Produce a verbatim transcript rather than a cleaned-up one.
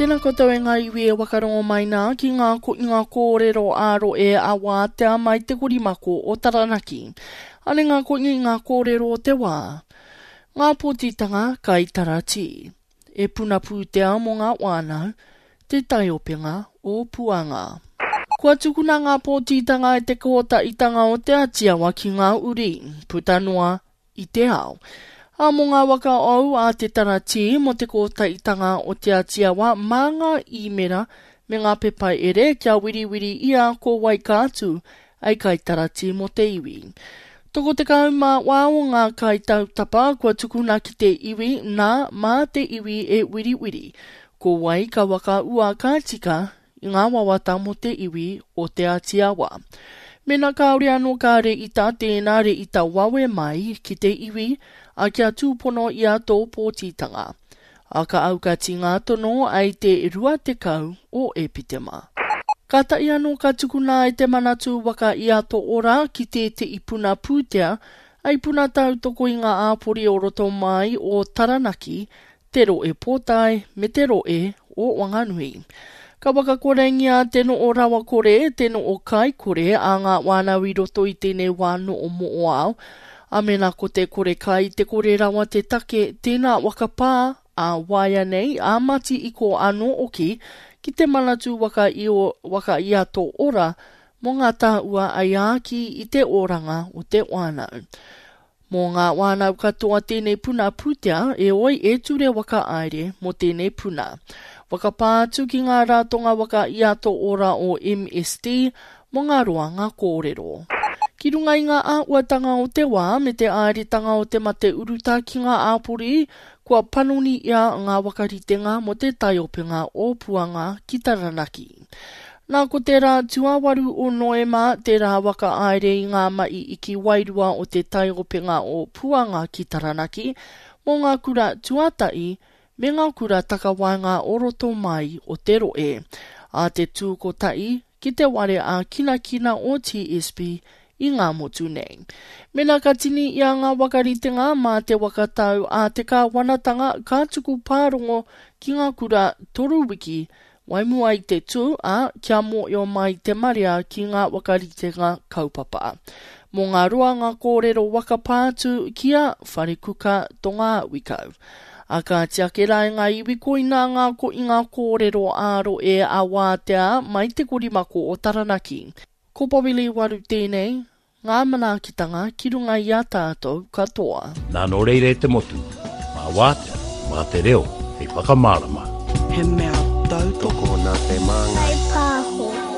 Tēnā koutou e ngā iwi e wakarongo mai nā ki ngā koinga kōrero ā-roe a wātea mai te korimako o Taranaki. Ane ngā koinga i ngā kōrero o te wā. Ngā pōtitanga kai taratī. E puna pūtea mō ngā wānau, te taiopenga o Puanga. Kua tukuna ngā pōtitanga e te kōtaitanga o Te Atiawa ki ngā uri, puta noa i te ao. Ā, mō ngā waka ou a te taratī mō te kōtaitanga o Te Atiawa mā ngā īmera me ngā pepa ere kia wiriwiri ia ko wai ka atu ai kaitaratī mō te iwi. Toko tekau mā wā o ngā kaitautapa kua tukuna ki te iwi, nā, mā te iwi e wiriwiri ko wai ka waka ua ka tika i ngā wawata mō te iwi o Te Atiawa. Mena kāore anō ka rēita tēnā rēita wawe mai ki te iwi, a kia tūpono ia tō pōtitanga. A ka aukati ngā tono ai te rua tekau o Epitema. Kātahi anō ka tukuna e te Manatū Waka i a Tō Ora ki tētehi puna pūtea, hei puna tautoko i ngā āpori o roto mai o Taranaki, te roe pōtae me te roe o Wanganui. Ka whakakorengia te noo rawakore, te noo kaikore a ngā whānau i roto i tēnei wā noo mo'oao. A mena ko te kore kai, te kore rawa te take, tēnā whakapā a waea nei, a mati i ko anō oki, ki te Manatū Waka i o, Waka i a Tō Ora, mō ngā tāua ai āki i te oranga o te whānau. Mō ngā whānau katoa tēnei puna pūtea, eoi e ture waka aere mō tēnei puna. Whakapā atu ki ngā ratonga waka i a Tō Ora o M S D mō ngā roanga kōrero. Ki runga i ngā āhuatanga o te wā me te āeretanga o te mate uruta ki ngā āpori, kua panoni ia ngā wakaritenga mō te taiopenga o Puanga ki Taranaki. Nā ko te rā tuawaru o Noema, te rā waka aere i ngā mai iki wairua o te taiopenga o Puanga ki Taranaki, mō ngā kura tuatahi me ngā kura takawaenga o roto mai o te roe. A te tūkotahi ki te ware a kinakina o T S B i ngā motu nei. Mena ka tini i a ngā wakaritenga mā te wakatau a te kāwanatanga ka tuku pārongo ki ngā kura toru wiki waimua i te tū, a kia mōio mai te marea ki ngā wakaritenga kaupapa. Mō ngā roanga kōrero wakapātu ki a Wharekuka Tonga Wikau. A ka tiake rā i ngā iwi koina ngā ko i ngā kōrero āro e a wātea mai te korimako o Taranaki. Ko Bobby Lee Waru tēnei, ngā manaakitanga ki runga i a tātou katoa. Nā nō reira e te motu, mā wātea, mā te reo, hei whakamārama. He mea tautoko nā te māngai. Kai pāho.